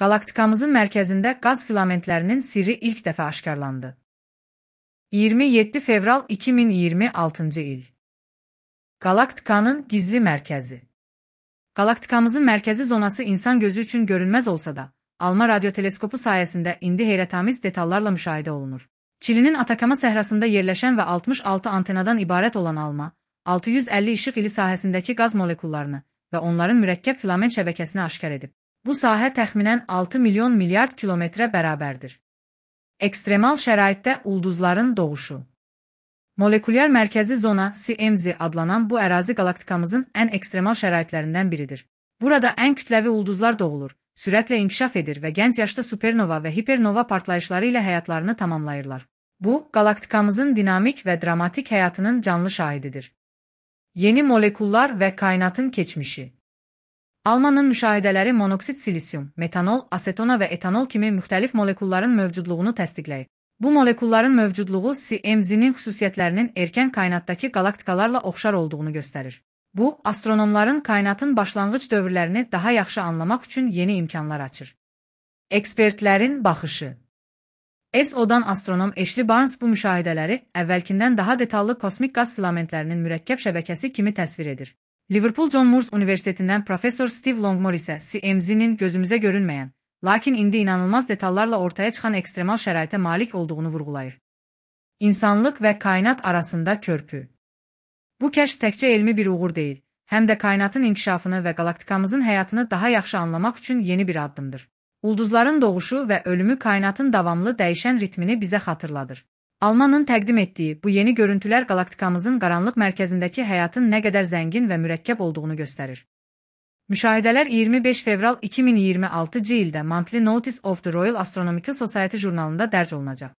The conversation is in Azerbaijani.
Galaktikamızın mərkəzində qaz filamentlərinin sirri ilk dəfə aşkarlandı. 27 fevral 2026-cı il. Galaktikanın gizli mərkəzi. Galaktikamızın mərkəzi zonası insan gözü üçün görünməz olsa da, ALMA radioteleskopu sayəsində indi heyrətamiz detallarla müşahidə olunur. Çilinin Atakama səhrasında yerləşən və 66 antenadan ibarət olan ALMA, 650 işıq ili sahəsindəki qaz molekullarını və onların mürəkkəb filament şəbəkəsini aşkar edib. Bu sahə təxminən 6 milyon milyard kilometrə bərabərdir. Ekstremal şəraitdə ulduzların doğuşu. Molekulyar mərkəzi zona CMZ adlanan bu ərazi galaktikamızın ən ekstremal şəraitlərindən biridir. Burada ən kütləvi ulduzlar doğulur, sürətlə inkişaf edir və gənc yaşda supernova və hipernova partlayışları ilə həyatlarını tamamlayırlar. Bu, galaktikamızın dinamik və dramatik həyatının canlı şahididir. Yeni molekullar və kainatın keçmişi. ALMA-nın müşahidələri monoksit silisyum, metanol, asetona və etanol kimi müxtəlif molekulların mövcudluğunu təsdiqləyib. Bu molekulların mövcudluğu CMZ-nin xüsusiyyətlərinin erkən kainatdakı galaktikalarla oxşar olduğunu göstərir. Bu, astronomların kainatın başlanğıc dövrlərini daha yaxşı anlamaq üçün yeni imkanlar açır. Ekspertlərin baxışı. ESO-dan astronom Ashley Barnes bu müşahidələri əvvəlkindən daha detallı kosmik qaz filamentlərinin mürəkkəb şəbəkəsi kimi təsvir edir. Liverpool John Moores Universitetindən professor Steve Longmore isə CMZ-nin gözümüzə görünməyən, lakin indi inanılmaz detallarla ortaya çıxan ekstremal şəraitə malik olduğunu vurğulayır. İnsanlıq və kainat arasında körpü. Bu kəşf təkcə elmi bir uğur deyil, həm də kainatın inkişafını və galaktikamızın həyatını daha yaxşı anlamaq üçün yeni bir addımdır. Ulduzların doğuşu və ölümü kainatın davamlı dəyişən ritmini bizə xatırladır. ALMA-nın təqdim etdiyi bu yeni görüntülər galaktikamızın qaranlıq mərkəzindəki həyatın nə qədər zəngin və mürəkkəb olduğunu göstərir. Müşahidələr 25 fevral 2026-cı ildə Monthly Notice of the Royal Astronomical Society jurnalında dərc olunacaq.